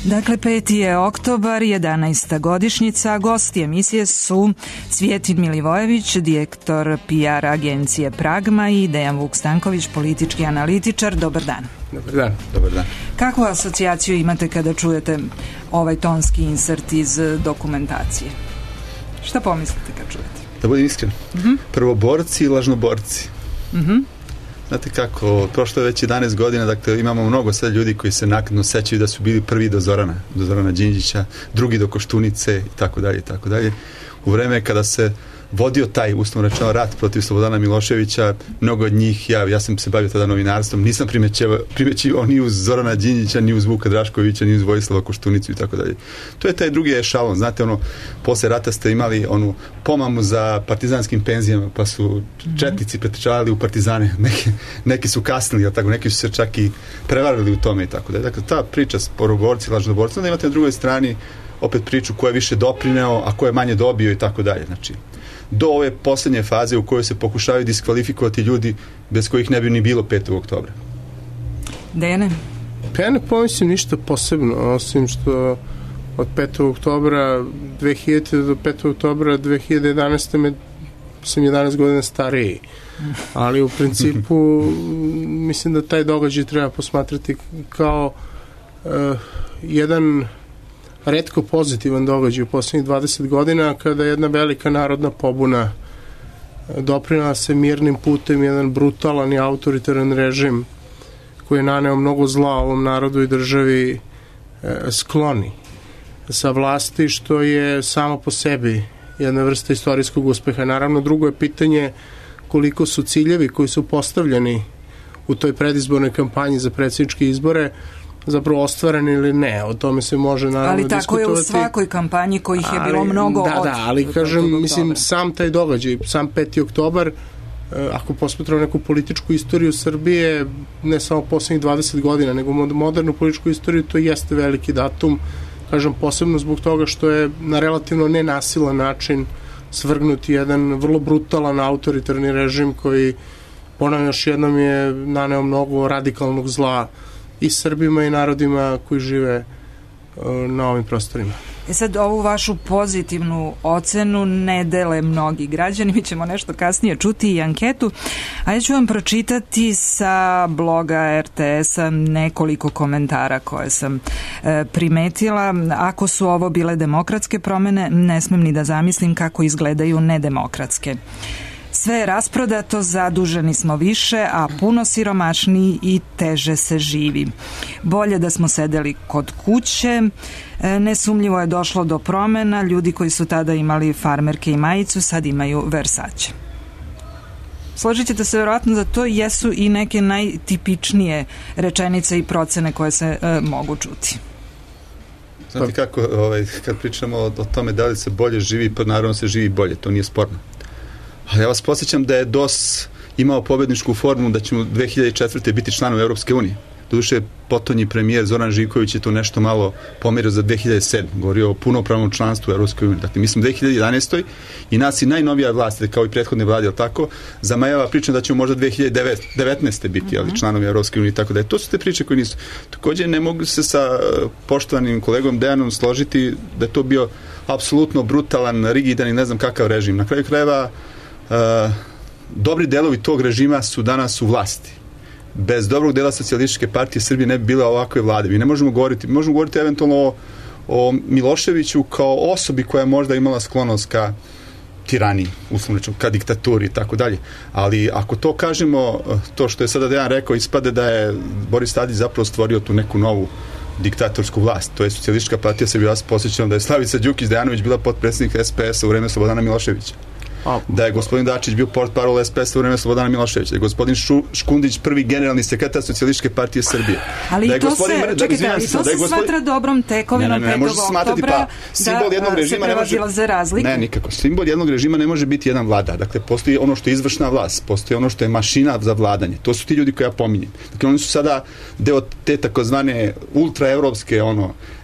Dakle, 5. je oktobar, 11. godišnjica. Gosti emisije su Cvjetin Milivojević, direktor PR agencije Pragma, i Dejan Vuk Stanković, politički analitičar. Dobar dan. Dobar dan. Dobar dan. Kakvu asocijaciju imate kada čujete ovaj tonski insert iz dokumentacije? Šta pomislite kad čujete? Da budem iskren. Prvoborci i lažnoborci. Znate kako, prošlo je već 11 godina, dakle imamo mnogo sad ljudi koji se naknadno sećaju da su bili prvi do Zorana Đinđića, drugi do Koštunice i tako dalje. U vreme kada se vodio taj, uslovno rečeno, rat protiv Slobodana Miloševića, mnogo od njih, ja sam se bavio tada novinarstvom, nisam primećivao ni uz Zorana Đinđića, ni uz Vuka Draškovića, ni uz Vojislava Koštunicu i tako dalje. To je taj drugi ešalon, znate, posle rata ste imali onu pomamu za partizanskim penzijama, pa su četnici pretrčavali u partizane, neki su kasnili, tako, neki su se čak i prevarili u tome i tako dalje. Dakle, ta priča s prvoborci, lažnoborci, onda imate na drugoj strani opet priču ko je više doprineo, a ko je manje dobio i tako dalje. Znači, do ove poslednje faze u kojoj se pokušavaju diskvalifikovati ljudi bez kojih ne bi ni bilo 5. oktobra. Dejane? Pa ja ne pomislim ništa posebno, osim što od 5. oktobra 2000 do 5. oktobra 2011. sam 11 godina stariji. Ali u principu mislim da taj događaj treba posmatrati kao jedan retko pozitivan događaj u poslednjih 20 godina, kada jedna velika narodna pobuna doprinela se mirnim putem jedan brutalan i autoritaran režim koji je naneo mnogo zla ovom narodu i državi skloni sa vlasti, što je samo po sebi jedna vrsta istorijskog uspeha. Naravno, drugo je pitanje koliko su ciljevi koji su postavljeni u toj predizbornoj kampanji za predsjedničke izbore zapravo ostvareni ili ne, o tome se može naravno diskutovati. Ali tako je u svakoj kampanji kojih je bilo mnogo ali kažem, mislim, sam taj događaj, sam 5. oktobar, ako posmatramo neku političku istoriju Srbije, ne samo poslednjih 20 godina, nego modernu političku istoriju, to jeste veliki datum, kažem, posebno zbog toga što je na relativno nenasilan način svrgnut jedan vrlo brutalan autoritarni režim koji, ponavljam još jednom, je naneo mnogo radikalnog zla i Srbima i narodima koji žive na ovim prostorima. Sad, ovu vašu pozitivnu ocenu ne dele mnogi građani, mi ćemo nešto kasnije čuti i anketu, a ja ću vam pročitati sa bloga RTS-a nekoliko komentara koje sam primetila. Ako su ovo bile demokratske promene, ne smem ni da zamislim kako izgledaju nedemokratske. Sve je rasprodato, zaduženi smo više, a puno siromašniji i teže se živi. Bolje da smo sedeli kod kuće, nesumnjivo je došlo do promena, ljudi koji su tada imali farmerke i majicu, sad imaju Versace. Složit ćete se verovatno da to jesu i neke najtipičnije rečenice i procene koje se mogu čuti. Znate kako, kad pričamo o tome da li se bolje živi, pa naravno se živi bolje, to nije sporno. Ali ja vas podsjećam da je DOS imao pobedničku formu da ćemo 2004. biti članom Europske unije. Doduše, potonji premijer Zoran Živković je to nešto malo pomerio za 2007. Govorio o punopravnom članstvu u Europskoj uniji. Dakle, mislim 2011. i nas i najnovija vlast, kao i prethodne vlade, tako, zamajava priča da ćemo možda 2019. biti članovi Europske unije, tako da je. To su te priče koje nisu. Također ne mogu se sa poštovanim kolegom Dejanom složiti da je to bio apsolutno brutalan, rigidan i ne znam kakav režim. Na kraju krajeva dobri delovi tog režima su danas u vlasti. Bez dobrog dela Socijalističke partije Srbije ne bi bila ovakve vlade. Mi ne možemo govoriti eventualno o Miloševiću kao osobi koja je možda imala sklonost ka tiraniji, uslovno rečeno, ka diktaturi i tako dalje. Ali ako to kažemo, to što je sada Dejan rekao, ispade da je Boris Tadić zapravo stvorio tu neku novu diktatorsku vlast. To je Socijalistička partija Srbije. Ja se posjećam da je Slavica Đukić Dejanović bila potpredsjednik SPS-a u vreme Slobodana Miloševića. Da je gospodin Dačić bio portparol SPS-a u vreme Slobodana Miloševića, da je gospodin Škundić prvi generalni sekretar Socijalističke partije Srbije. Ali to se smatra dobrom tekovinom 5. oktobra da se prevazilaze razlike? Ne, nikako. Simbol jednog režima ne može biti jedan vladar. Dakle, postoji ono što je izvršna vlast, postoji ono što je mašina za vladanje. To su ti ljudi koje ja pominjem. Dakle, oni su sada deo te takozvane ultraevropske,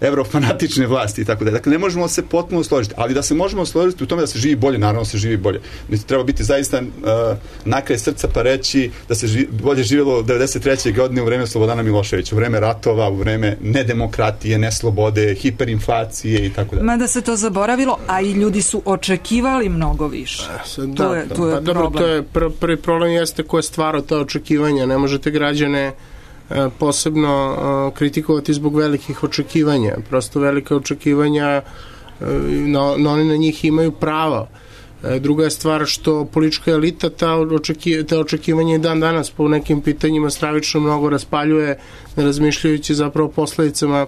evrofanatične vlasti i tako da. Dakle, ne možemo se potpuno složiti, ali da se možemo složiti u tome da se živi bolje, naravno se živi bolje. Mislim, treba biti zaista na kraj srca pa reći da se bolje živjelo 93. godine u vreme Slobodana Miloševića, u vreme ratova, u vreme nedemokratije, neslobode, hiperinflacije i tako dalje. Mada se to zaboravilo, a i ljudi su očekivali mnogo više. To je problem. Dobro, to je prvi problem jeste ko je stvarao ta očekivanja. Ne možete građane posebno kritikovati zbog velikih očekivanja. Prosto velike očekivanja, oni na njih imaju pravo. Druga je stvar što politička elita ta očekivanja i dan danas po nekim pitanjima stravično mnogo raspaljuje, ne razmišljajući zapravo posledicama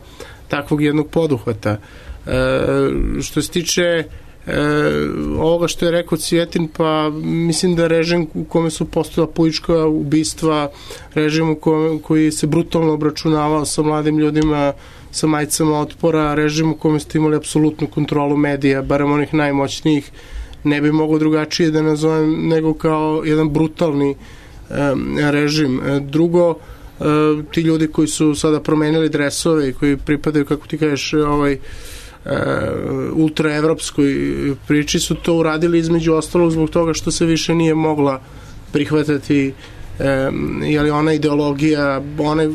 takvog jednog poduhvata. Što se tiče ovoga što je rekao Cvijetin, pa mislim da režim u kome su postojala politička ubistva, režim koji se brutalno obračunavao sa mladim ljudima, sa majicama otpora, režim u kome ste imali apsolutnu kontrolu medija, barem onih najmoćnijih, ne bi mogo drugačije da nazovem nego kao jedan brutalni režim. Drugo, ti ljudi koji su sada promenili dresove i koji pripadaju, kako ti kažeš, ultraevropskoj priči, su to uradili između ostalog zbog toga što se više nije mogla prihvatati ona ideologija,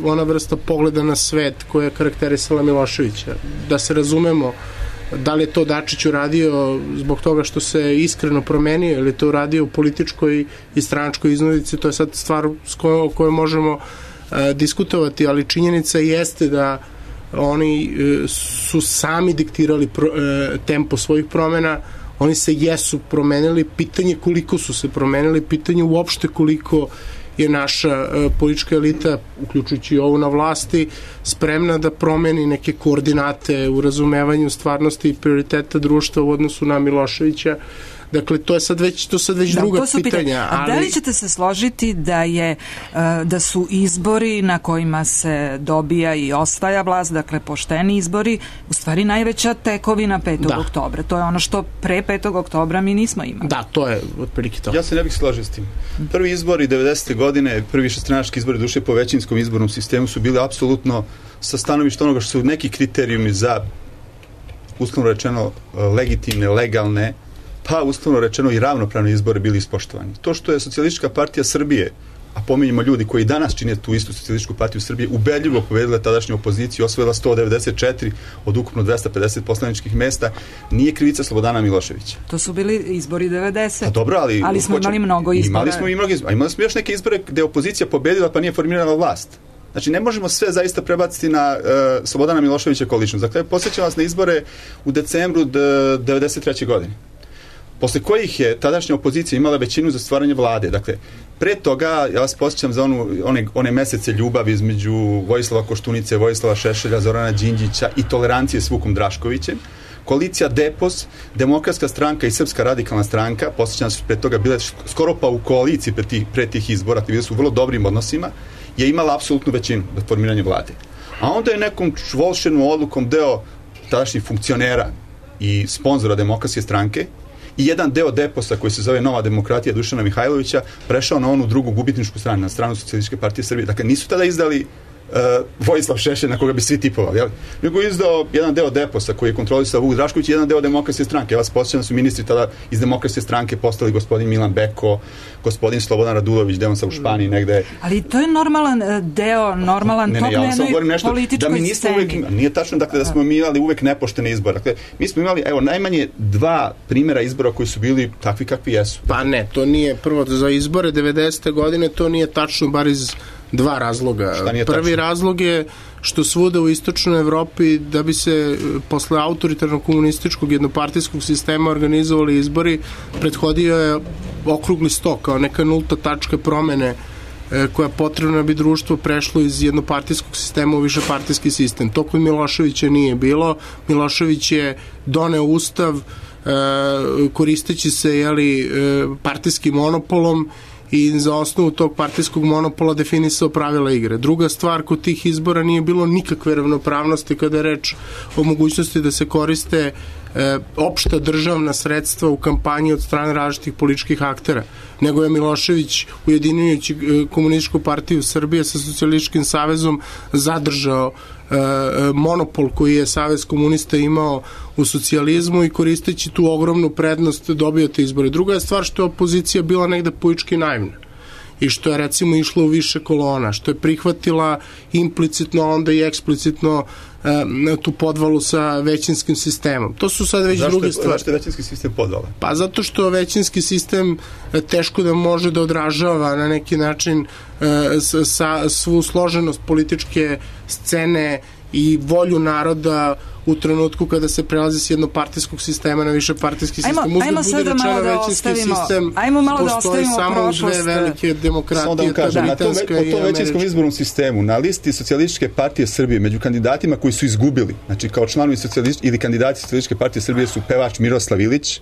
ona vrsta pogleda na svet koja je karakterisala Miloševića. Da se razumemo, da li je to Dačić uradio zbog toga što se iskreno promenio ili to uradio u političkoj i stranačkoj iznudici, to je sad stvar o kojoj možemo diskutovati, ali činjenica jeste da oni su sami diktirali tempo svojih promena, oni se jesu promenili, pitanje koliko su se promenili, pitanje uopšte koliko je naša politička elita, uključujući ovu na vlasti, spremna da promeni neke koordinate u razumevanju stvarnosti i prioriteta društva u odnosu na Miloševića. Dakle, to je sad već druga pitanja. A da li ćete se složiti da su izbori na kojima se dobija i osvaja vlast, dakle pošteni izbori, u stvari najveća tekovina 5. oktobra? To je ono što pre 5. oktobra mi nismo imali. Da, to je otprilike to. Ja se ne bih složio s tim. Prvi izbori 90. godine, prvi višestranački izbori duše po većinskom izbornom sistemu su bili apsolutno sa stanovišta onoga što su neki kriterijumi za, uslovno rečeno, legitimne, legalne, pa uslovno rečeno i ravnopravni izbori bili ispoštovani. To što je Socijalistička partija Srbije, a pominjemo ljudi koji danas čine tu istu Socijalističku partiju Srbije, ubedljivo pobedila tadašnju opoziciju, osvojila 194 od ukupno 250 poslaničkih mesta, nije krivica Slobodana Miloševića. To su bili izbori 90. A dobro, ali smo imali mnogo izbora. Imali smo još neke izbore gde je opozicija pobedila pa nije formirala vlast. Znači, ne možemo sve zaista prebaciti na Slobodana Miloševića kao ličnost. Dakle, posjećam vas na izbore u decembru 93. godine. Posle kojih je tadašnja opozicija imala većinu za stvaranje vlade. Dakle, pre toga, ja vas posjećam za one mesece ljubavi između Vojislava Koštunice, Vojislava Šešelja, Zorana Đinđića i tolerancije s Vukom Draškovićem. Koalicija DEPOS, Demokratska stranka i Srpska radikalna stranka, posjećam se pre toga bile skoro pa u koaliciji pre tih izbora, bile su u vrlo dobrim odnosima, je imala apsolutnu većinu za formiranje vlade. A onda je nekom volšenom odlukom deo tadašnjih funkcionera i sponzora Demokratske stranke i jedan deo DEPOS-a koji se zove Nova demokratija Dušana Mihajlovića prešao na onu drugu gubitničku stranu, na stranu Socijalističke partije Srbije. Dakle, nisu tada izdali Vojislav Šešelj na koga bi svi tipovali, jel? Nego je izdao jedan deo DEPOS-a koji je kontrolisao Vuk Drašković i jedan deo Demokratske stranke. Ja vas posjećam da su ministri tada iz Demokratske stranke postali gospodin Milan Beko, gospodin Slobodan Radulović, gde on sa u Španiji negde. Ali to je normalan deo, normalan tok na jednoj političkoj sceni. Nije tačno, dakle, da smo imali uvek nepoštene izbore. Dakle, mi smo imali, najmanje 2 primjera izbora koji su bili takvi kakvi jesu. Pa ne, to nije prvo za izbore 90. godine, to nije tačno, bar iz 2 razloga. Prvi razlog je što svuda u istočnoj Evropi, da bi se posle autoritarnog komunističkog jednopartijskog sistema organizovali izbori, prethodio je okrugli sto kao neka nulta tačka promene koja je potrebna da bi društvo prešlo iz jednopartijskog sistema u višepartijski sistem. To kod Miloševića nije bilo. Milošević je doneo ustav koristeći se partijskim monopolom i za osnovu tog partijskog monopola definisao pravila igre. Druga stvar, kod tih izbora nije bilo nikakve ravnopravnosti kada je reč o mogućnosti da se koriste opšta državna sredstva u kampanji od strane različitih političkih aktera, nego je Milošević, ujedinjujući Komunističku partiju Srbije sa Socijalističkim savezom, zadržao monopol koji je Savez komunista imao u socijalizmu i koristeći tu ogromnu prednost dobijate izbore. Druga je stvar što je opozicija bila negde politički naivna i što je recimo išlo u više kolona, što je prihvatila implicitno, onda i eksplicitno tu podvalu sa većinskim sistemom. To su sad već druge stvari. Zašto je većinski sistem podvala? Pa zato što većinski sistem teško da može da odražava na neki način svu složenost političke scene i volju naroda u trenutku kada se prelazi s jednopartijskog sistema na višepartijski sistem. Ajmo sad da malo da ostavimo, postoji samo u dve velike demokratije, ta britanska i američka. O tom većinskom izbornom sistemu na listi Socijalističke partije Srbije među kandidatima koji su izgubili, znači kao članovi ili kandidati Socijalističke partije Srbije su pevač Miroslav Ilić,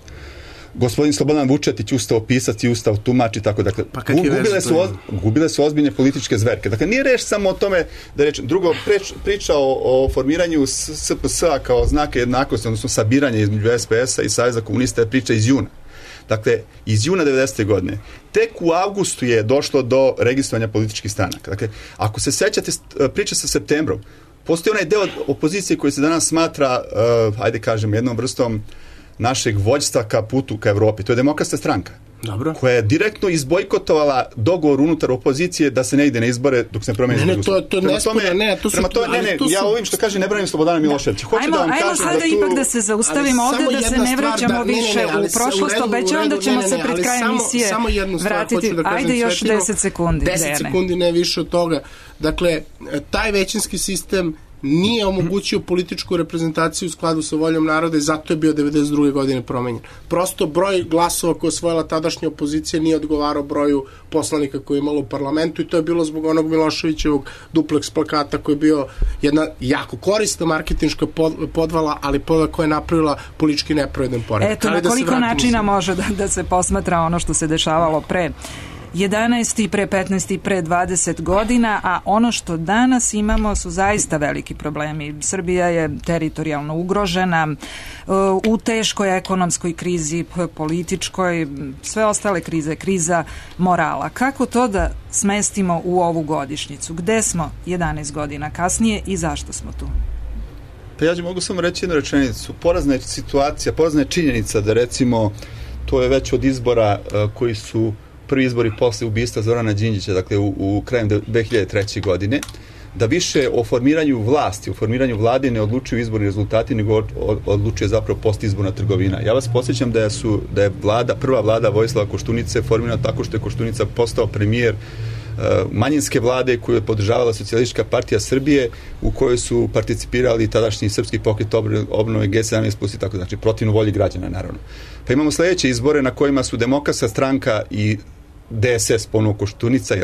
gospodin Slobodan Vučetić, ustao pisac i ustao tumač i tako. Dakle, gubile su ozbiljne političke zverke. Dakle, nije reč samo o tome da rečem. Drugo, priča o formiranju SPS-a kao znaka jednakosti, odnosno sabiranje između SPS-a i Saveza komunista je priča iz juna. Dakle, iz juna 90. godine. Tek u avgustu je došlo do registrovanja političkih stranaka. Dakle, ako se sećate priče sa septembrom, postoji onaj deo opozicije koji se danas smatra, ajde kažem, jednom vrstom našeg vođstva ka putu ka Evropi. To je Demokratska stranka. Dobro. Koja je direktno izbojkotovala dogovor unutar opozicije da se ne ide na izbore dok se ne promeni izbor. Ja ovim što kaže ne branim Slobodana Miloševića. Ajmo sada ipak da se zaustavimo ovde, da se ne vraćamo više u prošlost, obećavam da ćemo se pred kraj emisije vratiti. Ajde još 10 sekundi. 10 sekundi, ne više od toga. Dakle, taj većinski sistem nije omogućio političku reprezentaciju u skladu sa voljom naroda i zato je bio 92. godine promenjen. Prosto broj glasova koje je osvojila tadašnja opozicija nije odgovarao broju poslanika koje je imalo u parlamentu i to je bilo zbog onog Miloševićevog duplex plakata koji je bio jedna jako korisna marketinška podvala, ali podvala koja je napravila politički nepravedan poredak. Eto, na koliko načina može da se posmatra ono što se dešavalo pre 11 i pre 15 i pre 20 godina, a ono što danas imamo su zaista veliki problemi. Srbija je teritorijalno ugrožena, u teškoj ekonomskoj krizi, političkoj, sve ostale krize, kriza morala. Kako to da smestimo u ovu godišnjicu? Gde smo 11 godina kasnije i zašto smo tu? Pa ja mogu samo reći jednu rečenicu. Porazna je situacija, porazna je činjenica da recimo to je već od izbora koji su prvi izbori posle ubistva Zorana Đinđića, dakle u krajem 2003. godine, da više o formiranju vlasti, o formiranju vlade ne odlučuju izborni rezultati, nego odlučuje zapravo postizborna trgovina. Ja vas podsjećam da je prva vlada Vojislava Koštunice formirana tako što je Koštunica postao premijer manjinske vlade koju je podržavala Socijalistička partija Srbije, u kojoj su participirali tadašnji Srpski pokret obnove G17+, i tako, znači protivno volji građana, naravno. Pa imamo sledeće izbore na kojima su Demokratska stranka i DSS, ponovo Koštunica,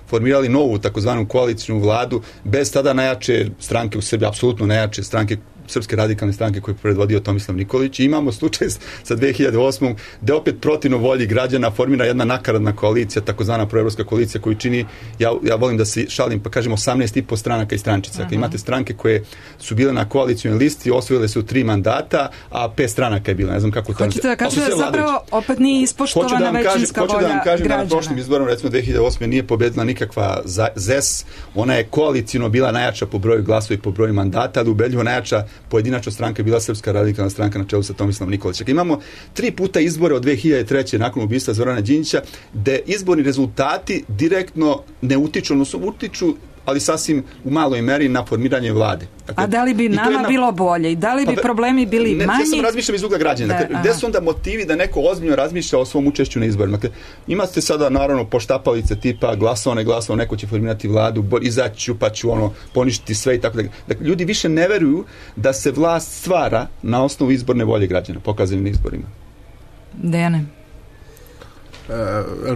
formirali novu takozvanu koalicijnu vladu bez tada najjače stranke u Srbiji, apsolutno najjače stranke, Srpske radikalne stranke koje je predvodio Tomislav Nikolić. I imamo slučaj sa 2008. da opet protivno volji građana formira jedna nakaradna koalicija, takozvana proevropska koalicija koju čini, ja volim da se šalim pa kažem 18,5 stranaka i strančica. Dakle, imate stranke koje su bile na koalicijnoj listi, osvojile su 3 mandata, a 5 stranaka je bilo. Ne znam kako to... Hoćete da kažete da zapravo opet nije ispoštovana većinska volja građana? Hoću da vam kažem da na prošlim izborom, recimo 2008. nije pobedila nikakva ZES, ona je koalicijno bila najjača po broju glasova i po broju mandata, ali ubedljivo najjača pojedinačna stranka je bila Srpska radikalna stranka na čelu sa Tomislavom Nikolićem. Imamo 3 puta izbore od 2003. nakon ubistva Zorana Đinđića, gde izborni rezultati direktno ne utiču, odnosno utiču, ali sasvim u maloj meri na formiranje vlade. Dakle, a da li bi nama bilo bolje i da li bi problemi bili manji? Ja sam razmišljam iz ugla građana. Dakle, gde su onda motivi da neko ozbiljno razmišlja o svom učešću na izborima? Dakle, imate sada naravno poštapalice tipa glasovao, neko će formirati vladu, izaći pa ću poništiti sve i tako dalje. Dakle, ljudi više ne veruju da se vlast stvara na osnovu izborne volje građana, pokazane na izborima. Dejane?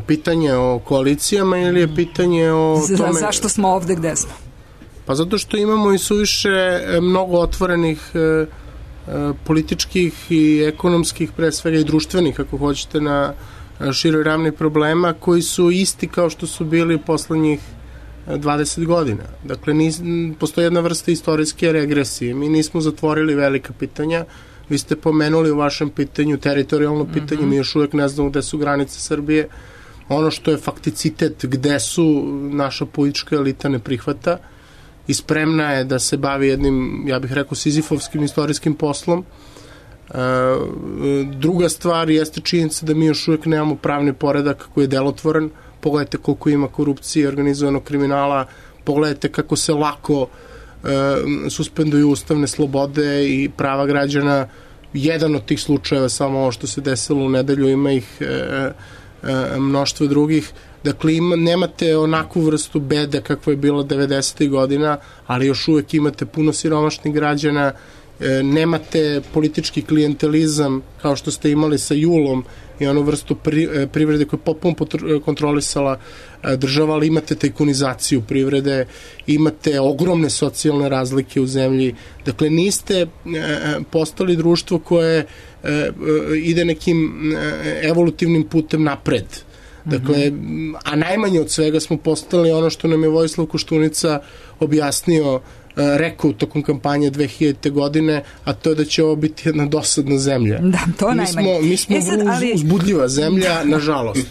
Pitanje o koalicijama ili je pitanje o tome... Zašto smo ovde gde smo? Pa zato što imamo i suviše mnogo otvorenih političkih i ekonomskih, pre svega i društvenih, ako hoćete, na široj ravni problema koji su isti kao što su bili poslednjih 20 godina. Dakle, postoji jedna vrsta istorijske regresije. Mi nismo zatvorili velika pitanja. Vi ste pomenuli u vašem pitanju teritorijalno pitanje, mi još uvek ne znamo gde su granice Srbije. Ono što je fakticitet, gde su naša politička elita ne prihvata i spremna je da se bavi jednim, ja bih rekao, sizifovskim istorijskim poslom. Druga stvar jeste činjenica da mi još uvijek nemamo pravni poredak koji je delotvoran. Pogledajte koliko ima korupcije i organizovanog kriminala, pogledajte kako se lako suspenduju ustavne slobode i prava građana. Jedan od tih slučajeva, samo ovo što se desilo u nedelju, ima ih mnoštvo drugih. Dakle, nemate onakvu vrstu bede kakva je bila 90. godina, ali još uvek imate puno siromašnih građana, nemate politički klijentelizam kao što ste imali sa Julom i onu vrstu privrede koja je potpuno kontrolisala država, ali imate tajkunizaciju privrede, imate ogromne socijalne razlike u zemlji. Dakle, niste postali društvo koje ide nekim evolutivnim putem napred. Dakle, a najmanje od svega smo postali ono što nam je Vojislav Koštunica objasnio, rekao tokom kampanje 2000. godine, a to je da će ovo biti jedna dosadna zemlja. Da, to najmanje. Mi smo uzbudljiva zemlja, nažalost.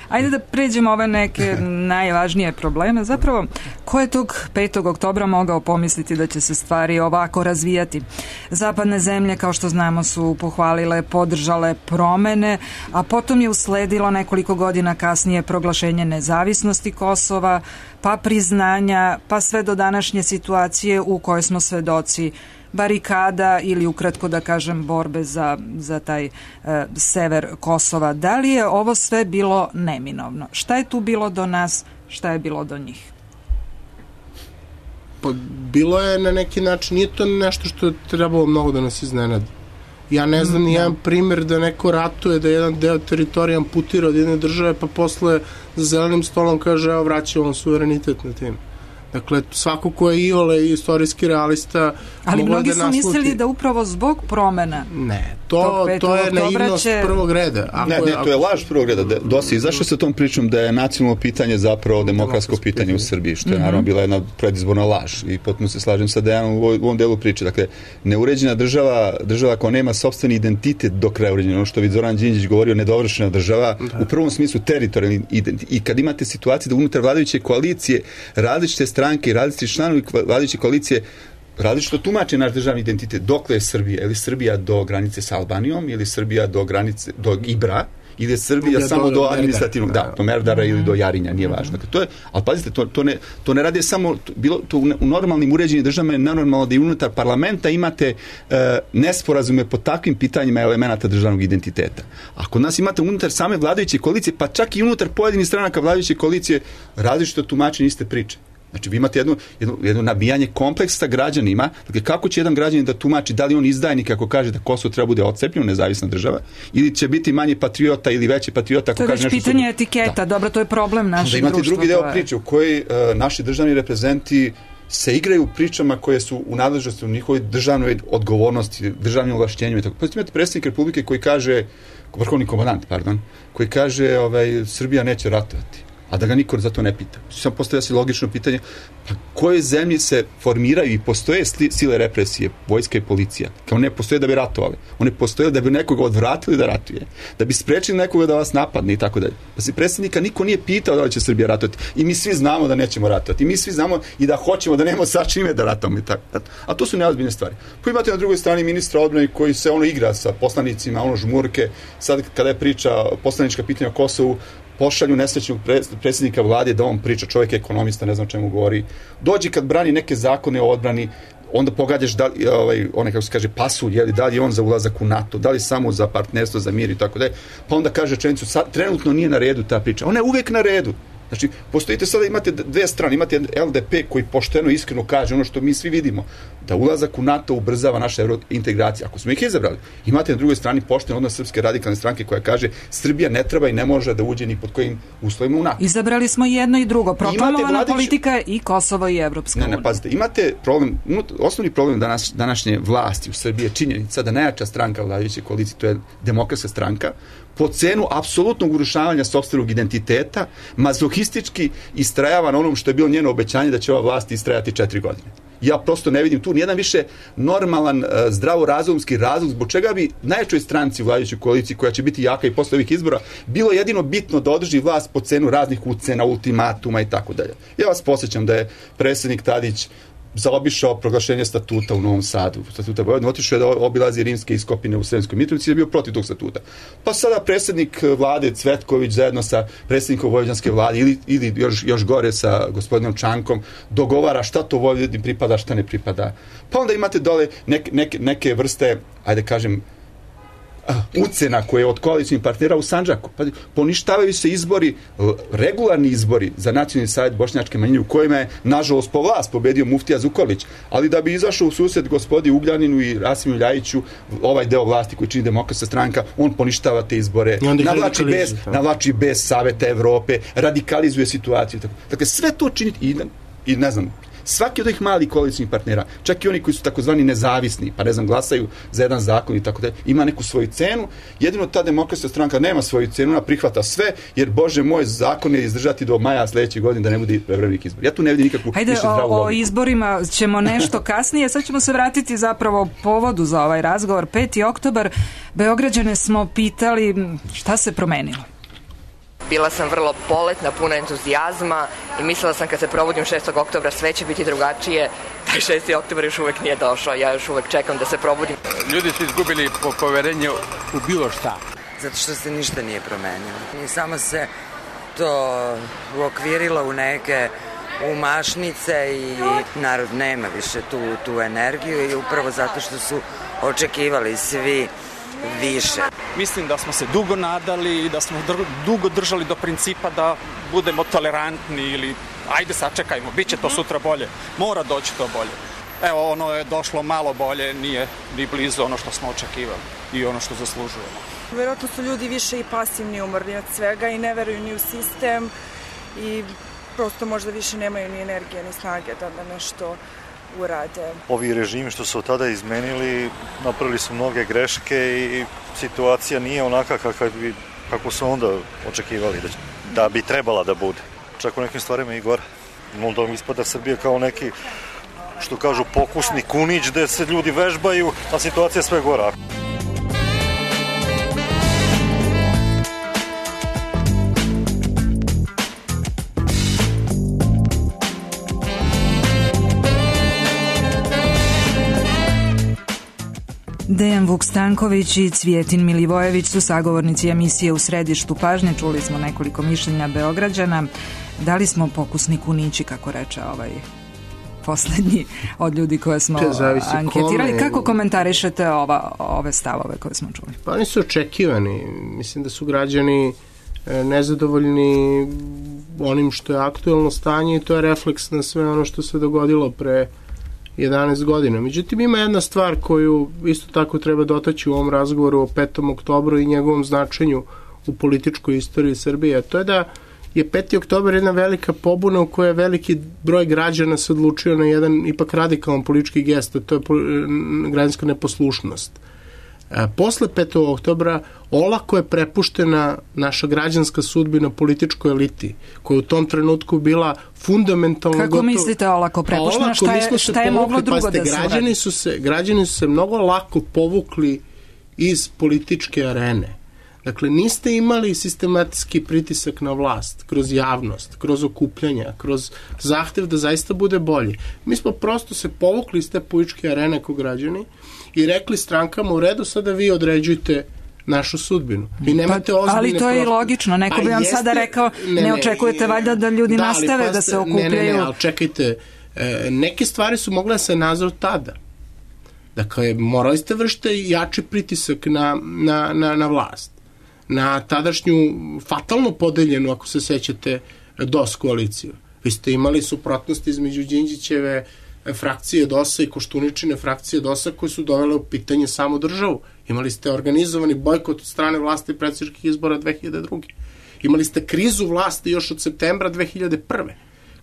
Ajde da pređemo ove neke najvažnije probleme. Zapravo, ko je tog 5. oktobra mogao pomisliti da će se stvari ovako razvijati? Zapadne zemlje, kao što znamo, su pohvalile, podržale promene, a potom je usledilo nekoliko godina kasnije proglašenje nezavisnosti Kosova, pa priznanja, pa sve do današnje situacije u kojoj smo svedoci barikada ili ukratko da kažem borbe za taj sever Kosova. Da li je ovo sve bilo neminovno? Šta je tu bilo do nas, šta je bilo do njih? Pa bilo je na neki način, nije to nešto što je trebalo mnogo da nas iznenadi. Ja ne znam ni jedan primjer da neko ratuje, da jedan deo teritorija amputira od jedne države, pa posle za zelenim stolom kaže, evo vraćamo vam suverenitet na tim. Dakle, svako ko je iole istorijski realista... Ali mnogi su mislili da upravo zbog promena... Ne, to je naivnost prvog reda. Ne, to je laž prvog reda. Dosi, zašto se tom pričom da je nacionalno pitanje zapravo demokratsko pitanje u Srbiji, što je naravno bila jedna predizborna laž i potpuno se slažem sa Dejanom u ovom delu priče. Dakle, neuređena država koja nema sopstveni identitet do kraja uređena, ono što bi Zoran Đinđić govorio, nedovršena država, u prvom smislu teritorijalni identitet. I kad imate situaciju da unutar vladajuće koalicije različite stranke i različiti članovi vladajuće koalicije različito tumače naš državni identitet. Dokle je Srbija? Je li Srbija do granice sa Albanijom ili Srbija do granice do Ibra ili je Srbija samo do administrativnog, do Merdara ili do Jarinja, nije važno. Dakle, to je, ali pazite, to ne radi samo, to u normalnim uređenim državama je nenormalno da i unutar parlamenta imate nesporazume po takvim pitanjima elemenata državnog identiteta. A kod nas imate unutar same vladajuće koalicije, pa čak i unutar pojedinih stranaka vladajuće koalicije različito tumačenje iste priče. Znači, vi imate jedno nabijanje kompleksa građanima. Dakle, kako će jedan građanin da tumači da li on izdajnik ako kaže da Kosovo treba bude odcepljeno, nezavisna država, ili će biti manji patriota ili veći patriota ako kaže nešto... To je već pitanje etiketa, dobro, to je problem našeg društva. Da imate drugi deo priče u kojoj naši državni reprezenti se igraju pričama koje su u nadležnosti u njihovoj državnoj odgovornosti, državnim ovlašćenju i tako. Pa imate predsjednik Republike koji kaže, vrhovni komandant, koji kaže Srbija neće ratovati, a da ga niko za to ne pita. Samo postavlja se logično pitanje, pa koje zemlje se formiraju i postoje sile represije, vojska i policija, kao ne postoje da bi ratovali. One postoje da bi nekoga odvratili da ratuje, da bi sprečili nekoga da vas napadne i tako dalje. Pa se predsjednika niko nije pitao da li će Srbija ratovati. I mi svi znamo da nećemo ratovati. I mi svi znamo i da hoćemo da nemamo sa čime da ratujemo i tako. A to su neozbiljne stvari. Pa imate na drugoj strani ministra odbrane koji se igra sa poslanicima, žmurke. Sad kada je priča poslanička pitanja o Kosovu, pošalju nesrećnog predsjednika vlade da on priča, čovjek je ekonomista, ne znam čemu govori. Dođi kad brani neke zakone o odbrani, onda pogađaš da onaj, kako se kaže, pasulj, da li je on za ulazak u NATO, da li samo za partnerstvo, za mir i tako dalje. Pa onda kaže rečenicu, trenutno nije na redu ta priča. Ona je uvek na redu. Znači, postojite sada, imate dve strane, imate LDP koji pošteno iskreno kaže ono što mi svi vidimo, da ulazak u NATO ubrzava naše integracije. Ako smo ih izabrali, imate na drugoj strani pošteno odnos Srpske radikalne stranke koja kaže Srbija ne treba i ne može da uđe ni pod kojim uslovima u NATO. Izabrali smo jedno i drugo. Proklamovana politika i Kosovo i Evropska unija. Ne, pazite, imate problem, osnovni problem današnje vlasti u Srbiji je činjenica da najjača stranka vladajuće koalicije, to je Demokratska stranka, po cenu apsolutnog urušavanja sopstvenog identiteta, mazohistički istrajava na onom što je bilo njeno obećanje da će ova vlast istrajati 4 godine. Ja prosto ne vidim tu nijedan više normalan, zdravorazumski razlog zbog čega bi najjačoj stranci u vladajućoj koaliciji, koja će biti jaka i posle ovih izbora, bilo jedino bitno da održi vlast po cenu raznih ucena, ultimatuma i tako dalje. Ja vas podsjećam da je predsjednik Tadić zaobišao proglašenje statuta u Novom Sadu, statuta Vojvodine, otišao je da obilazi rimske iskopine u Sremskoj Mitrovici i je bio protiv tog statuta. Pa sada predsjednik vlade Cvetković zajedno sa predsjednikom vojvođanske vlade ili još gore sa gospodinom Čankom dogovara šta to Vojvodini pripada, šta ne pripada. Pa onda imate dole neke vrste, ajde kažem, ucena koje od koalicijnih partnera u Sandžaku. Pa, poništavaju se izbori, regularni izbori za Nacionalni savjet bošnjačke manjine u kojima je, nažalost, po vlast pobedio muftija Zukorlić, ali da bi izašao u susret gospodi Ugljaninu i Rasimu Ljajiću, ovaj deo vlasti koji čini Demokratska stranka, on poništava te izbore, navlači bez Saveta Evrope, radikalizuje situaciju. Dakle, sve to čini i ne znam, svaki od ovih malih koalicijnih partnera, čak i oni koji su takozvani nezavisni, pa ne znam, glasaju za jedan zakon i tako da ima neku svoju cenu, jedino ta Demokratska stranka nema svoju cenu, ona prihvata sve, jer Bože moj, zakon je izdržati do maja sledeće godine da ne bude prevremenih izbora. Ja tu ne vidim nikakvu više zdravu logiku. O izborima ćemo nešto kasnije, sad ćemo se vratiti zapravo povodu za ovaj razgovor. 5. oktobar, Beograđane smo pitali šta se promenilo. Bila sam vrlo poletna, puna entuzijazma i mislila sam kad se probudim 6. oktobra sve će biti drugačije. Taj 6. oktobar još uvek nije došao, ja još uvek čekam da se probudim. Ljudi su izgubili poverenje u bilo šta. Zato što se ništa nije promenilo. I samo se to uokvirilo u neke umašnice i narod nema više tu energiju i upravo zato što su očekivali svi više. Mislim da smo se dugo nadali i da smo dugo držali do principa da budemo tolerantni ili ajde sačekajmo, bit će to sutra bolje, mora doći to bolje. Evo, ono je došlo malo bolje, nije ni blizu ono što smo očekivali i ono što zaslužujemo. Vjerojatno su ljudi više i pasivni, umorni od svega i ne veruju ni u sistem i prosto možda više nemaju ni energije ni snage da nešto urade. Ovi režimi što su od tada izmenili, napravili su mnoge greške i situacija nije onaka kako su onda očekivali da bi trebala da bude. Čak u nekim stvarima i gore. Onda ispada Srbija kao neki, što kažu, pokusni kunić gde se ljudi vežbaju, a situacija je sve gora. Dejan Vuk-Stanković i Cvjetin Milivojević su sagovornici emisije U središtu pažnje. Čuli smo nekoliko mišljenja Beograđana. Da li smo pokusni kunići, kako reče ovaj poslednji od ljudi koje smo anketirali? Kako komentarišete ove stavove koje smo čuli? Pa oni su očekivani. Mislim da su građani nezadovoljni onim što je aktuelno stanje i to je refleks na sve ono što se dogodilo pre 11 godina. Međutim, ima jedna stvar koju isto tako treba dotaći u ovom razgovoru o 5. oktobru i njegovom značenju u političkoj istoriji Srbije, a to je da je 5. oktobar jedna velika pobuna u kojoj je veliki broj građana se odlučio na jedan ipak radikalan politički gest, a to je građanska neposlušnost. Posle 5. oktobra olako je prepuštena naša građanska sudbina političkoj eliti, koja u tom trenutku bila fundamentalno Kako mislite olako prepuštena? Šta je moglo drugo da se uradi? Građani su se mnogo lako povukli iz političke arene. Dakle, niste imali sistematski pritisak na vlast, kroz javnost, kroz okupljanja, kroz zahtev da zaista bude bolje. Mi smo prosto se povukli iz te političke arene kao građani i rekli strankama u redu, sada vi određujete našu sudbinu. Ali to je i logično. Neko bi vam sada rekao, ne očekujete valjda da ljudi nastave da se okupljaju. Ne, ali čekajte, neke stvari su mogle da se nazove tada. Dakle, morali ste vršiti jači pritisak na vlast. Na tadašnju fatalno podeljenu, ako se sećate, DOS koaliciju. Vi ste imali suprotnosti između Đinđićeve frakcije DOS-a i Koštuničine frakcije DOS-a koje su dovele u pitanje samu državu. Imali ste organizovani bojkot od strane vlasti predsjedničkih izbora 2002. Imali ste krizu vlasti još od septembra 2001.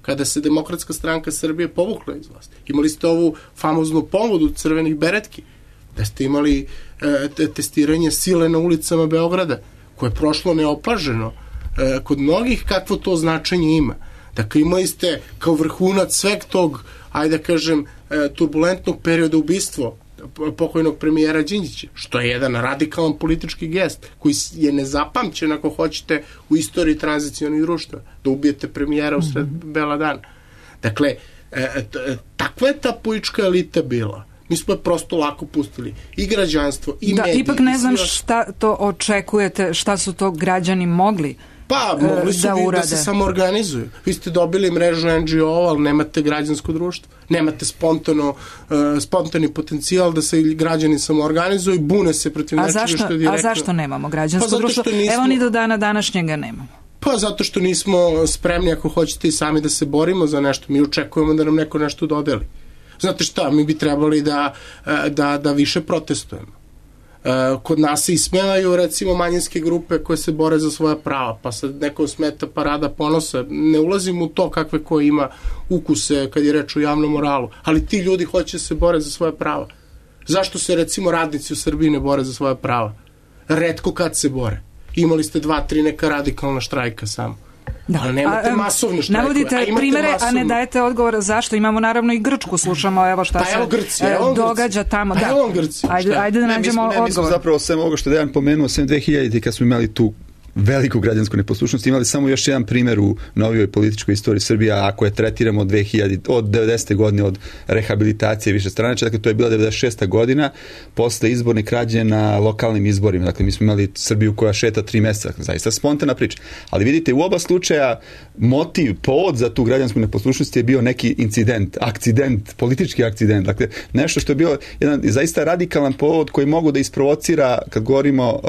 kada se Demokratska stranka Srbije povukla iz vlasti. Imali ste ovu famoznu povodu crvenih beretki, da ste imali testiranje sile na ulicama Beograda, koje je prošlo neopaženo kod mnogih, kakvo to značenje ima. Dakle, imali ste kao vrhunac sveg tog, ajde da kažem, turbulentnog perioda ubistvo pokojnog premijera Đinđića, što je jedan radikalan politički gest koji je nezapamćen, ako hoćete, u istoriji tranzicionih društva, da ubijete premijera u sred bela dana. Dakle, takva je ta politička elita bila. Mi smo je prosto lako pustili. I građanstvo, i mediji. Ipak ne znam šta to očekujete, šta su to građani mogli mogli su da se samoorganizuju. Vi ste dobili mrežu NGO, ali nemate građansko društvo. Nemate spontani potencijal da se građani samoorganizuju i bune se protiv nečega što je direktno. A zašto nemamo građansko društvo? Evo ni do dana današnjega nemamo. Pa zato što nismo spremni, ako hoćete, i sami da se borimo za nešto. Mi očekujemo da nam neko nešto dodeli. Znate šta, mi bi trebali da više protestujemo. Kod nas se ismevaju, recimo, manjinske grupe koje se bore za svoja prava, pa sad nekom smeta Parada ponosa. Ne ulazim u to kakve ko ima ukuse kad je reč o javnom moralu, ali ti ljudi hoće se bore za svoja prava. Zašto se, recimo, radnici u Srbiji ne bore za svoja prava? Retko kad se bore. Imali ste 2-3 neka radikalna štrajka samo. Ali nemate masovne štrajkove. Navodite primere, a ne dajete odgovor zašto. Imamo naravno i Grčku, slušamo evo šta se događa tamo. Ajde da nađemo odgovor. Mi smo zapravo sve ovo što Dejan pomenuo, sem 2000 kad smo imali tu veliku građansku neposlušnost, imali samo još jedan primjer u novijoj političkoj istoriji Srbije, ako je tretiramo od 90. godine od rehabilitacije višestranačja, dakle to je bila 96. godina posle izborne krađe na lokalnim izborima, dakle mi smo imali Srbiju koja šeta 3 mjeseca, zaista spontana priča, ali vidite u oba slučaja motiv, povod za tu građansku neposlušnost je bio neki incident, akcident, politički akcident, dakle nešto što je bio jedan zaista radikalan povod koji mogu da isprovocira, kad govorimo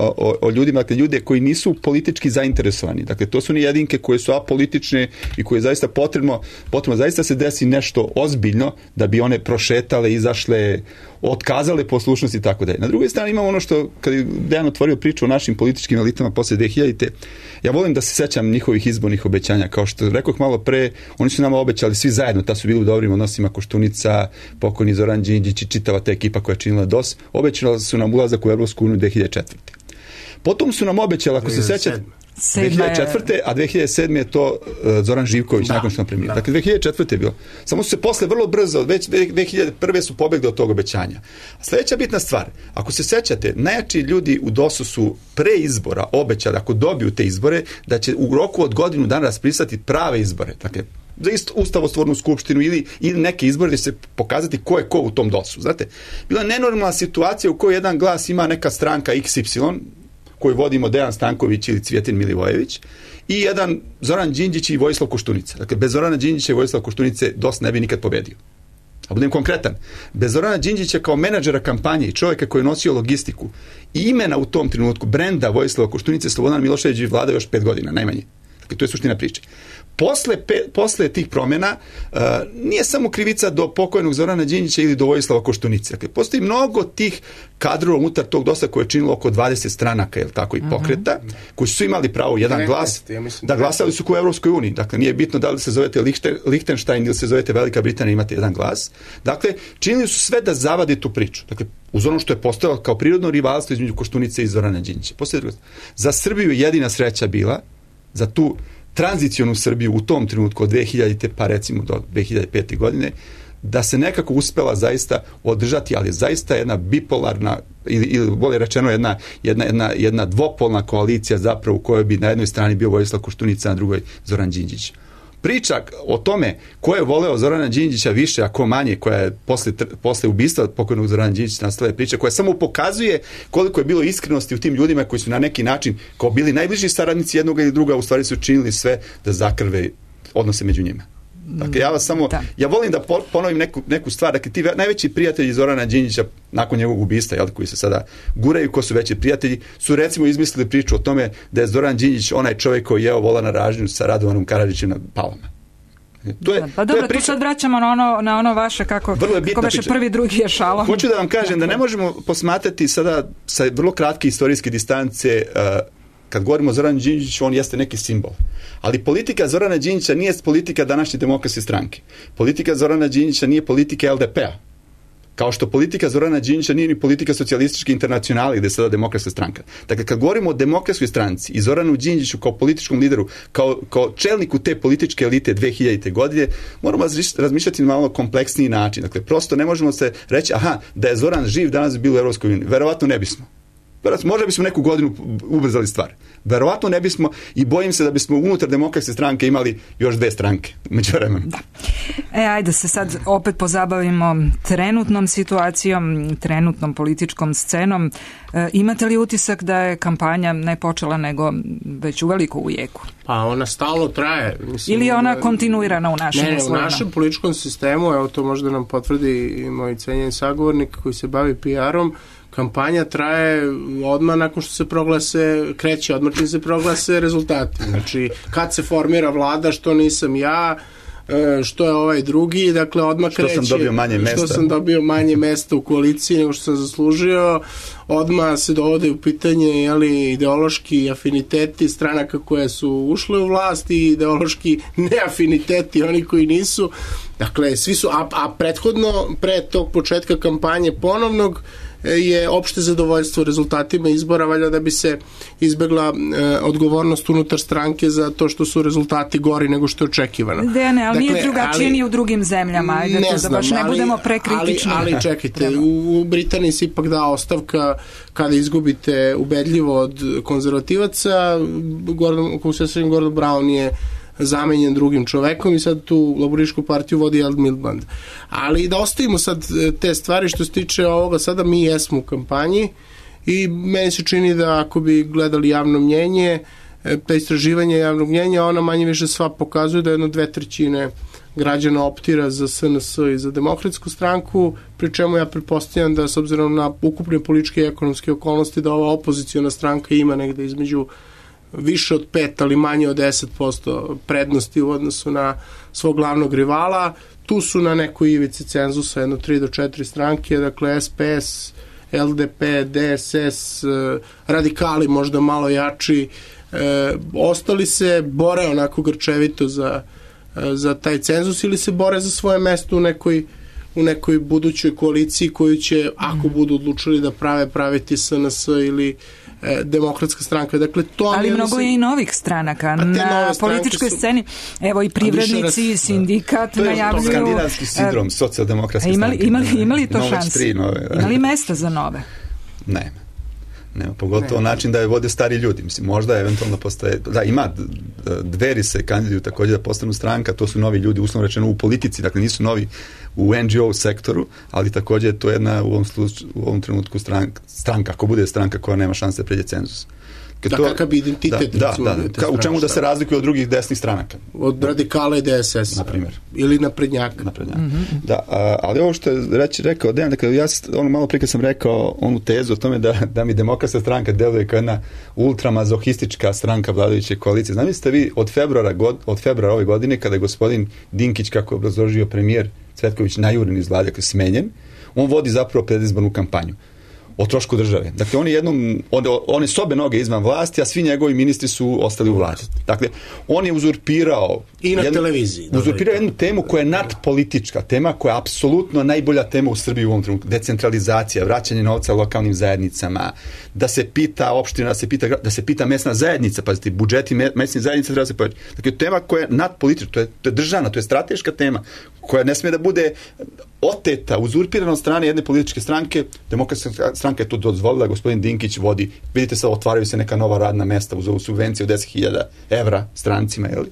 o ljudima, dakle ljude koji nisu politički zainteresovani. Dakle, to su ni jedinke koje su apolitične i koje je zaista potrebno zaista se desi nešto ozbiljno da bi one prošetale, izašle, otkazale poslušnost i tako dalje. Na drugoj strani imamo ono što, kad je Dejan otvorio priču o našim političkim elitama posle 2000. Ja volim da se sećam njihovih izbornih obećanja. Kao što rekoh malo pre, oni su nama obećali svi zajedno, ta su bili u dobrim odnosima, Koštunica, pokojni Zoran Đinđić i čitava ta ekipa koja je činila DOS, obećali su nam ulazak u Evropsku uniju 2004. Potom su nam obećali, ako se sećate, 2004. a 2007. je to Zoran Živković nakon što nam premijer. Dakle, 2004. je bilo. Samo su se posle vrlo brzo, već 2001. su pobegli od tog obećanja. A sljedeća bitna stvar, ako se sećate, najjači ljudi u DOS-u su pre izbora obećali, ako dobiju te izbore, da će u roku od godinu dana raspisati prave izbore. Dakle, za ustavotvornu skupštinu ili neke izbore da se pokazati ko je ko u tom DOS-u. Znate, bila je nenormalna situacija u kojoj jedan glas ima neka stranka XY, koju vodimo Dejan Stanković ili Cvjetin Milivojević, i jedan Zoran Đinđić i Vojislav Koštunica. Dakle, bez Zorana Đinđića i Vojislava Koštunice DOS ne bi nikad pobedio. A budem konkretan, bez Zorana Đinđića kao menadžera kampanje i čovjeka koji je nosio logistiku i imena u tom trenutku, brenda Vojislava Koštunice, Slobodan Milošević bi vladao još 5 godina, najmanje. Dakle, to je suština priče. Posle tih promjena nije samo krivica do pokojnog Zorana Đinđića ili do Vojislava Koštunice. Dakle, postoji mnogo tih kadrova unutar tog DOS-a koje je činilo oko 20 stranaka, je tako, i pokreta, koji su imali pravo jedan glas, da glasali su u Evropskoj uniji. Dakle, nije bitno da li se zovete Lichtenstein ili se zovete Velika Britanija, imate jedan glas. Dakle, činili su sve da zavade tu priču. Dakle, uz ono što je postojalo kao prirodno rivalstvo između Koštunice i Zorana Đinđića. Za Srbiju jedina sreća bila, za tu tranzicionu Srbiju u tom trenutku od 2000. pa recimo do 2005. godine, da se nekako uspela zaista održati, ali zaista jedna bipolarna ili bolje rečeno jedna dvopolna koalicija zapravo u kojoj bi na jednoj strani bio Vojislav Koštunica, na drugoj Zoran Đinđić. Priča o tome ko je voleo Zorana Đinđića više, a ko manje, koja je posle ubistva pokojnog Zorana Đinđića nastala je priča koja samo pokazuje koliko je bilo iskrenosti u tim ljudima koji su na neki način kao bili najbliži saradnici jednog ili druga, u stvari su činili sve da zakrve odnose među njima. Dakle, ja volim da ponovim neku stvar, dakle, ti najveći prijatelji Zorana Đinđića nakon njegovog ubistva, koji se sada guraju, ko su veći prijatelji, su recimo izmislili priču o tome da je Zoran Đinđić onaj čovjek koji jeo volana ražnju sa Radovanom Karadžićem na Palama. Tu sad vraćamo na ono vaše kako veše prvi, drugi je šalom. Hoću da vam kažem da ne možemo posmatrati sada sa vrlo kratke istorijske distance. Kad govorimo o Zoranu Đinđiću, on jeste neki simbol. Ali politika Zorana Đinđića nije politika današnje Demokratske stranke. Politika Zorana Đinđića nije politika LDP-a. Kao što politika Zorana Đinđića nije ni politika socijalističke internacionale gde je sada Demokratska stranka. Dakle, kad govorimo o Demokratskoj stranci i Zoranu Đinđiću kao političkom lideru, kao čelniku te političke elite 2000. godine, moramo razmišljati na malo kompleksniji način. Dakle, prosto ne možemo se reći, da je Zoran živ, danas bi bilo u Evropskoj uniji. Verovatno ne bismo. Možda bismo neku godinu ubrzali stvar. Verovatno ne bismo i bojim se da bismo unutar Demokratske stranke imali još 2 stranke među vremenom. Da. Ajde se sad opet pozabavimo trenutnom situacijom, trenutnom političkom scenom. Imate li utisak da je kampanja ne počela nego već uveliko u jeku? Pa ona stalno traje. Mislim, ili je ona kontinuirana u našem uslovima? Ne, u našem političkom sistemu, evo to možda nam potvrdi i moj cenjeni sagovornik koji se bavi PR-om, kampanja traje odmah nakon što se kreće odmah čim se proglase rezultati. Znači, kad se formira vlada, što nisam ja, što je ovaj drugi, dakle odmah kreće. Što sam dobio manje mesta u koaliciji nego što sam zaslužio, odmah se dovode u pitanje ideološki afiniteti stranaka koje su ušle u vlast i ideološki neafiniteti oni koji nisu. Dakle, svi su, a prethodno, pre tog početka kampanje ponovnog, je opšte zadovoljstvo rezultatima izbora, valjda da bi se izbegla odgovornost unutar stranke za to što su rezultati gori nego što je očekivano. Dejane, ali nije drugačije ni u drugim zemljama, ajde da baš ne budemo prekritični. Ali čekajte, u Britaniji se ipak da ostavka kada izgubite ubedljivo od konzervativaca, Gordon Brown je zamenjen drugim čovekom i sad tu laborističku partiju vodi Ed Miliband. Ali da ostavimo sad te stvari što se tiče ovoga, sada mi jesmo u kampanji i meni se čini da ako bi gledali javno mnjenje, ta istraživanje javnog mnjenja, ona manje više sva pokazuje da 2/3 građana optira za SNS i za Demokratsku stranku, pri čemu ja pretpostavljam da s obzirom na ukupne političke i ekonomske okolnosti da ova opoziciona stranka ima negde između više od 5, ali manje od 10% prednosti u odnosu na svog glavnog rivala. Tu su na nekoj ivici cenzusa 3 do 4 stranke, dakle SPS, LDP, DSS, radikali možda malo jači. Ostali se bore onako grčevito za taj cenzus ili se bore za svoje mesto u nekoj budućoj koaliciji koju će, ako budu odlučili da praviti SNS ili Demokratska stranka. Dakle, ali mnogo je i novih stranaka na političkoj sceni. Evo i privrednici i sindikat najavljuju. To je skandinavski sindrom socijaldemokratske stranke. Imali to šanse? Imali mesta za nove? Nema, pogotovo način da je vode stari ljudi. Mislim, možda eventualno postoje, ima, Dveri se kandiduju također da postanu stranka, to su novi ljudi, uslovno rečeno u politici, dakle nisu novi u NGO sektoru, ali također to je jedna u ovom trenutku stranka, ako bude stranka koja nema šanse da pređe cenzus. Kakav bi identitet? U čemu da se razlikuje od drugih desnih stranaka? Od radikala i DSS. Na primjer. Ili naprednjaka. Da, ali ovo što je rekao Dejan, dakle, ja malo prije sam rekao onu tezu o tome da mi Demokratska stranka deluje kao jedna ultramazohistička stranka vladajuće koalicije. Zamislite vi od februara ove godine, kada je gospodin Dinkić, kako je obrazložio premijer Cvetković, najuren iz vlade, dakle smenjen, on vodi zapravo predizbornu kampanju o trošku države. Dakle, on je sobe noge izvan vlasti, a svi njegovi ministri su ostali u vladi. Dakle, on je uzurpirao i na televiziji. Uzurpirao jednu temu koja je nadpolitička, tema koja je apsolutno najbolja tema u Srbiji u ovom trenutku. Decentralizacija, vraćanje novca lokalnim zajednicama, da se pita opština, da se pita mesna zajednica, pazite, budžeti mesnih zajednica treba se povećati. Dakle, tema koja je nadpolitička, to je državna, to je strateška tema, koja ne smije da bude oteta, uzurpirana od strane jedne političke stranke. Demokratska stranka je to dozvolila, gospodin Dinkić vodi, vidite sad, otvaraju se neka nova radna mesta uz ovu subvenciju od 10.000 evra strancima, jel?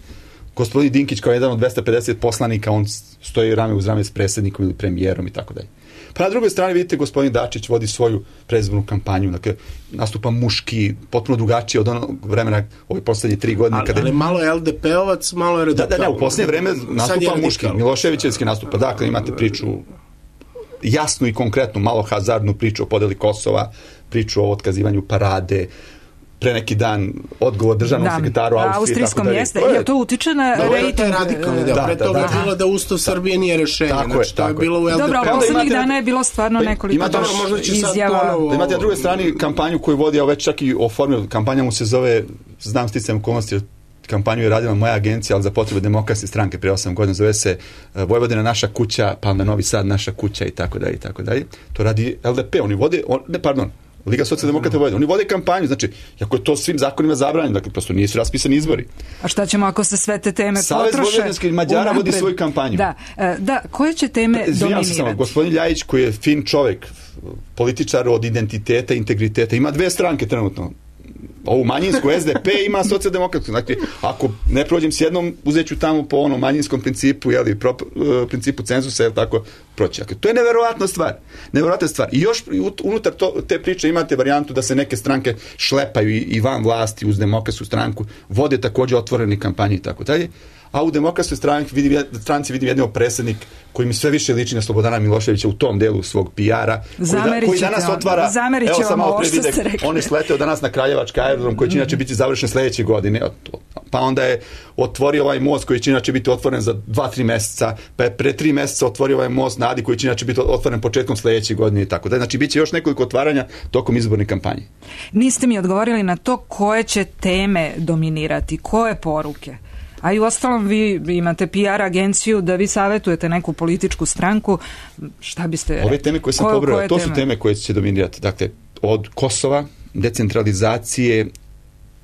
Gospodin Dinkić kao jedan od 250 poslanika, on stoji rame uz rame s predsjednikom ili premijerom i tako dalje. Pa na drugoj strani vidite, gospodin Dačić vodi svoju predizbornu kampanju, dakle, nastupa muški, potpuno drugačije od onog vremena ove poslednje 3 godine. Ali malo je LDP-ovac, malo je radikal. Da, u poslednje vreme nastupa muški, Miloševićevski nastupa. Dakle, imate priču jasnu i konkretnu, malo hazardnu priču o podeli Kosova, priču o otkazivanju parade, pre neki dan odgovor državnom sekretaru austrijskom jeste. To utiče na rejting. To je radikalni deo. Pre toga je bilo da Ustav Srbije nije rešenje. Znači, to je bilo u LDP. Dobro, poslednjih dana je bilo stvarno nekoliko izjava. Imate na drugoj strani kampanju koju vodi, već čak i oformio, kampanja mu se zove, znam sticajem okolnosti, kampanju je radila moja agencija, ali za potrebe Demokratske stranke prije 8 godina, zove se Vojvodina naša kuća, pa onda Novi Sad naša kuća i tako dalje i tako dalje. To radi LDP, oni vode, Liga socijaldemokrata Vojvodine, oni vode kampanju, znači, ako je to svim zakonima zabranjeno, dakle, prosto nisu raspisani izbori. A šta ćemo ako se sve te teme potroše? Savez vojvođanskih Mađara vodi svoju kampanju. Da, koje će teme dominirati? Samo, gospodin Ljajić, koji je fin čovjek, političar od identiteta, integriteta, ima 2 stranke trenutno. Ovu manjinsku SDP ima socijaldemokratsku. Znači, ako ne prođem s jednom, uzet ću tamo po onom manjinskom principu, principu cenzusa, tako proći. Dakle, to je neverovatna stvar. I još unutar te priče imate varijantu da se neke stranke šlepaju i van vlasti uz Demokratsku stranku, vode također otvorene kampanje i tako dalje. A u Demokratskoj stranci vidim jednog predsjednik koji mi sve više liči na Slobodana Miloševića u tom delu svog PR-a, koji danas otvara, evo sam malo pre videk, on je sleteo danas na Kraljevački aerodrom koji će inače biti završen sljedeće godine, pa onda je otvorio ovaj most koji će inače biti otvoren za 2-3 mjeseca, pa je pre 3 mjeseca otvorio ovaj most na Adi koji će inače biti otvoren početkom sljedeće godine i tako da. Znači, bit će još nekoliko otvaranja tokom izborne kampanje. Niste mi odgovorili na to koje će teme dominirati, koje poruke. A i u ostalom vi imate PR agenciju da vi savjetujete neku političku stranku, šta biste rekli? Ove teme koje sam pobrojao, to su teme koje će dominirati. Dakle, od Kosova, decentralizacije,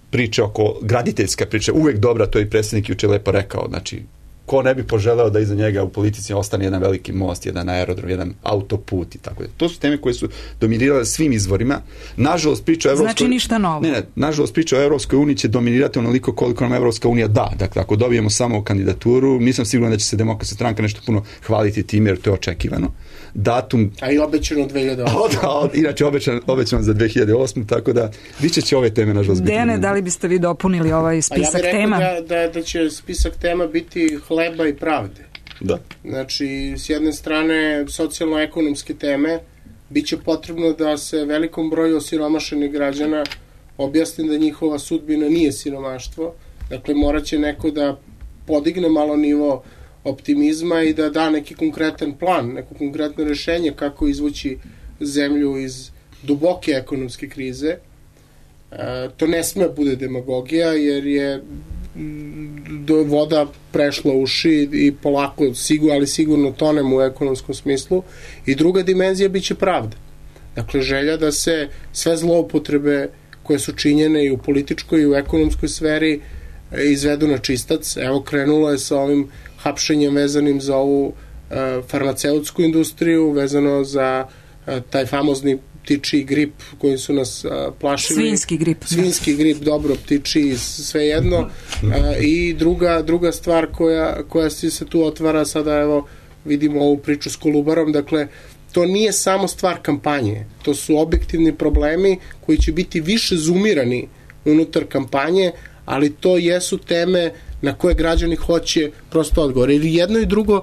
priče oko, graditeljska priča, uvijek dobra, to je i predsjednik juče lepo rekao, znači, ko ne bi poželeo da iza njega u politici ostane jedan veliki most, jedan aerodrom, jedan autoput i tako da. To su teme koje su dominirale svim izvorima. Nažalost, priča o Evropskoj... Znači ništa novo. Nažalost, priča o Evropskoj uniji će dominirati onoliko koliko nam Evropska unija da. Dakle, ako dobijemo samo kandidaturu, nisam siguran da će se Demokratska stranka nešto puno hvaliti time, jer to je očekivano. Datum... A i obećano 2008. Inače, obećano za 2008. Tako da, više će ove teme, nažalost, biti. Dejane, da li biste vi dopunili ovaj spisak tema? Ja bih rekao da će spisak tema biti hleba i pravde. Da. Znači, s jedne strane, socijalno-ekonomske teme, bit će potrebno da se velikom broju osiromašenih građana objasni da njihova sudbina nije siromaštvo. Dakle, morat će neko da podigne malo nivo optimizma i da da neki konkretan plan, neko konkretno rješenje kako izvući zemlju iz duboke ekonomske krize. To ne sme bude demagogija, jer je voda prešla uši i polako, ali sigurno tonemo u ekonomskom smislu. I druga dimenzija biće pravda. Dakle, želja da se sve zloupotrebe koje su činjene i u političkoj i u ekonomskoj sferi izvedu na čistac. Evo, krenulo je sa ovim hapšenjem vezanim za ovu farmaceutsku industriju, vezano za taj famozni ptičiji grip koji su nas plašili. Svinjski grip, dobro, ptičiji, sve jedno. I druga stvar koja se tu otvara, sada evo vidimo ovu priču s Kolubarom, dakle, to nije samo stvar kampanje, to su objektivni problemi koji će biti više zoomirani unutar kampanje, ali to jesu teme na koje građani hoće prosto odgovor. Jer jedno i drugo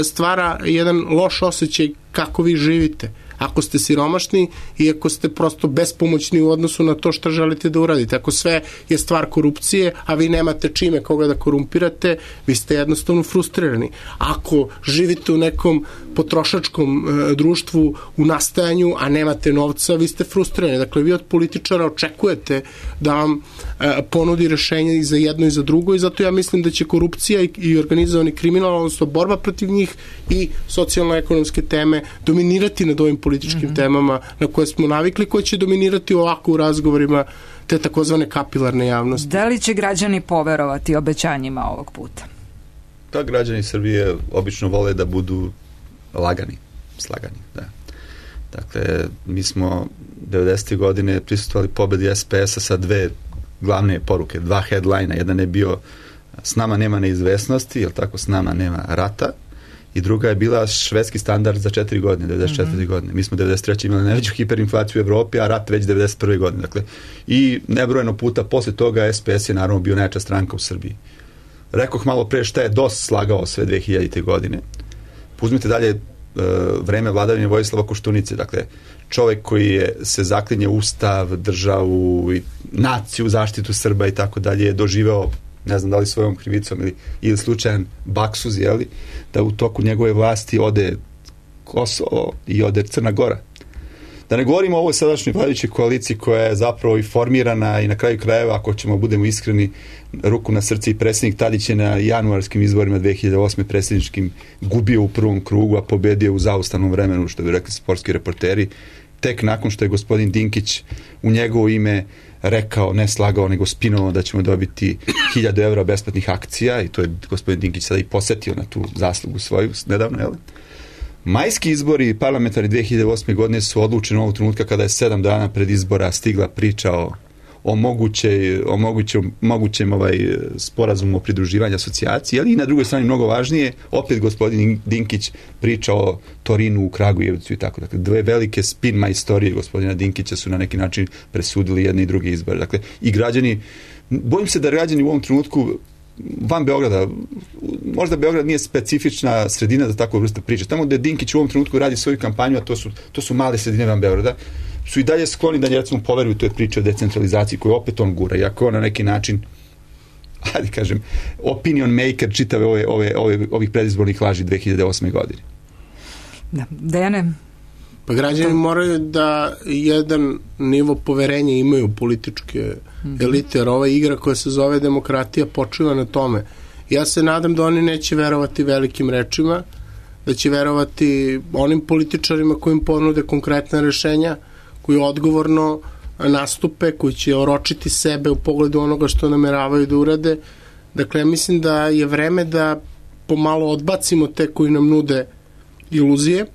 stvara jedan loš osjećaj kako vi živite. Ako ste siromašni i ako ste prosto bespomoćni u odnosu na to što želite da uradite. Ako sve je stvar korupcije, a vi nemate čime koga da korumpirate, vi ste jednostavno frustrirani. Ako živite u nekom potrošačkom društvu u nastajanju, a nemate novca, vi ste frustrirani. Dakle, vi od političara očekujete da vam ponudi rješenje i za jedno i za drugo, i zato ja mislim da će korupcija i organizovani kriminal, odnosno borba protiv njih i socijalno-ekonomske teme dominirati nad ovim političkim temama na koje smo navikli, koje će dominirati ovako u razgovorima te takozvane kapilarne javnosti. Da li će građani poverovati obećanjima ovog puta? Pa građani Srbije obično vole da budu slagani, da. Dakle, mi smo 90. godine prisustvovali pobedi SPS-a sa 2 glavne poruke, 2 headlina. Jedan je bio s nama nema neizvesnosti, jel tako, s nama nema rata, i druga je bila švedski standard za 4 godine, 94. godine. Mi smo 93. imali najveću hiperinflaciju u Evropi, a rat već 91. godine. Dakle, i nebrojeno puta posle toga SPS je naravno bio najjača stranka u Srbiji. Rekoh malo pre šta je DOS slagao sve 2000. godine. Uzmite dalje vreme vladavine Vojislava Koštunice, dakle, čovjek koji se zaklinje ustav, državu i naciju, zaštitu Srba i tako dalje, je doživeo, ne znam da li svojom krivicom ili slučajan baksuz, da u toku njegove vlasti ode Kosovo i ode Crna Gora. Da ne govorimo o ovoj sadašnjoj vladajućoj koaliciji koja je zapravo i formirana i na kraju krajeva, ako ćemo budemo iskreni, ruku na srce, i predsjednik Tadić je na januarskim izborima 2008. predsjedničkim gubio u prvom krugu, a pobedio u zaustavnom vremenu, što bi rekli sportski reporteri, tek nakon što je gospodin Dinkić u njegovo ime rekao, ne slagao, nego spinovao da ćemo dobiti 1000 evra besplatnih akcija, i to je gospodin Dinkić sada i posetio na tu zaslugu svoju nedavno, jel? Majski izbori parlamentarni 2008. godine su odlučeni ovog trenutka kada je 7 dana pred izbora stigla priča o mogućem sporazumu o pridruživanju asocijaciji, ali i na drugoj strani mnogo važnije, opet gospodin Dinkić priča o Torinu u Kragujevcu i tako. Dakle, dve velike spin majstorije gospodina Dinkića su na neki način presudili jedne i druge izbore. Dakle, i građani, bojim se da građani u ovom trenutku van Beograda, možda Beograd nije specifična sredina za takvu vrstu priče. Tamo gde Dinkić u ovom trenutku radi svoju kampanju, a to su male sredine van Beograda, su i dalje skloni da recimo poveruju toj priče o decentralizaciji koju opet on gura, iako on na neki način, hajde kažem, opinion maker čitave ovih predizbornih laži 2008. godine. Da, Dejane? Pa građani moraju da jedan nivo poverenja imaju političke elite, jer ova igra koja se zove demokratija počiva na tome. Ja se nadam da oni neće verovati velikim rečima, da će verovati onim političarima koji im ponude konkretna rešenja, koji odgovorno nastupe, koji će oročiti sebe u pogledu onoga što nameravaju da urade. Dakle, ja mislim da je vreme da pomalo odbacimo te koji nam nude iluzije,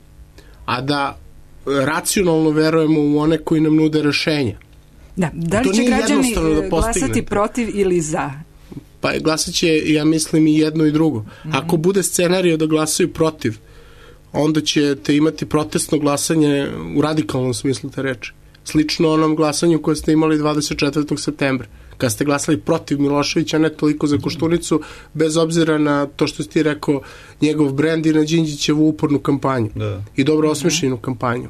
a da racionalno verujemo u one koji nam nude rešenja. Da li će građani glasati protiv ili za? Pa glasat će, ja mislim, i jedno i drugo. Ako bude scenario da glasaju protiv, onda ćete imati protestno glasanje u radikalnom smislu te reči. Slično onom glasanju koje ste imali 24. septembra, kad ste glasali protiv Miloševića, ne toliko za Koštunicu, bez obzira na to što ste rekao njegov brend i na Đinđićevu upornu kampanju. Da. I dobro osmišljenu kampanju.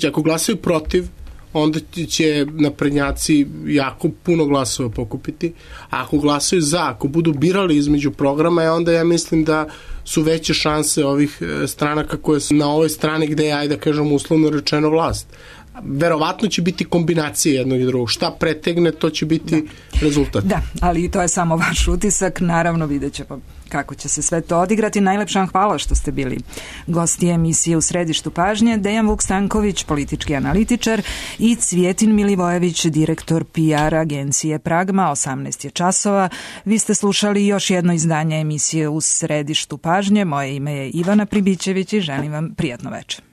Ako glasaju protiv, onda će naprednjaci jako puno glasova pokupiti, a ako glasaju za, ako budu birali između programa, onda ja mislim da su veće šanse ovih stranaka koje su na ovoj strani gde je, ajde da kažem, uslovno rečeno vlast. Verovatno će biti kombinacija jednog i drugog. Šta pretegne, to će biti rezultat. Da, ali to je samo vaš utisak. Naravno, vidjet ćemo kako će se sve to odigrati. Najlepša vam hvala što ste bili gosti emisije U središtu pažnje. Dejan Vukstanković, politički analitičar, i Cvjetin Milivojević, direktor PR agencije Pragma. 18 je časova. Vi ste slušali još jedno izdanje emisije U središtu pažnje. Moje ime je Ivana Pribićević i želim vam prijatno večer.